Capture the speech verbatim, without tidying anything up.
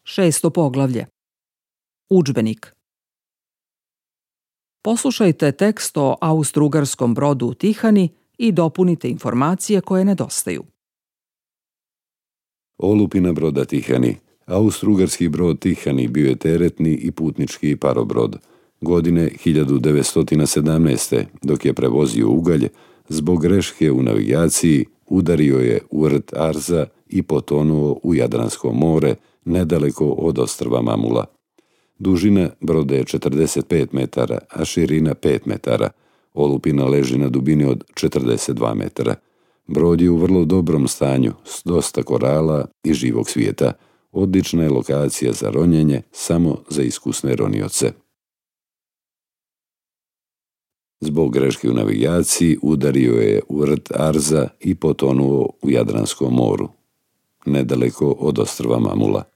Šesto poglavlje. Udžbenik. Poslušajte tekst o austrougarskom brodu Tihani i dopunite informacije koje nedostaju. Olupina broda Tihani. Austrougarski brod Tihani bio je teretni i putnički parobrod. Godine hiljadu devetsto sedamnaeste. dok je prevozio ugalj, zbog greške u navigaciji udario je u rt Arza i potonuo u Jadransko more, nedaleko od ostrva Mamula. Dužina broda je četrdeset pet metara, a širina pet metara. Olupina leži na dubini od četrdeset dva metara. Brod je u vrlo dobrom stanju, s dosta korala i živog svijeta. Odlična je lokacija za ronjenje, samo za iskusne ronioce. Zbog greške u navigaciji udario je u rt Arza i potonuo u Jadranskom moru, nedaleko od ostrva Mamula.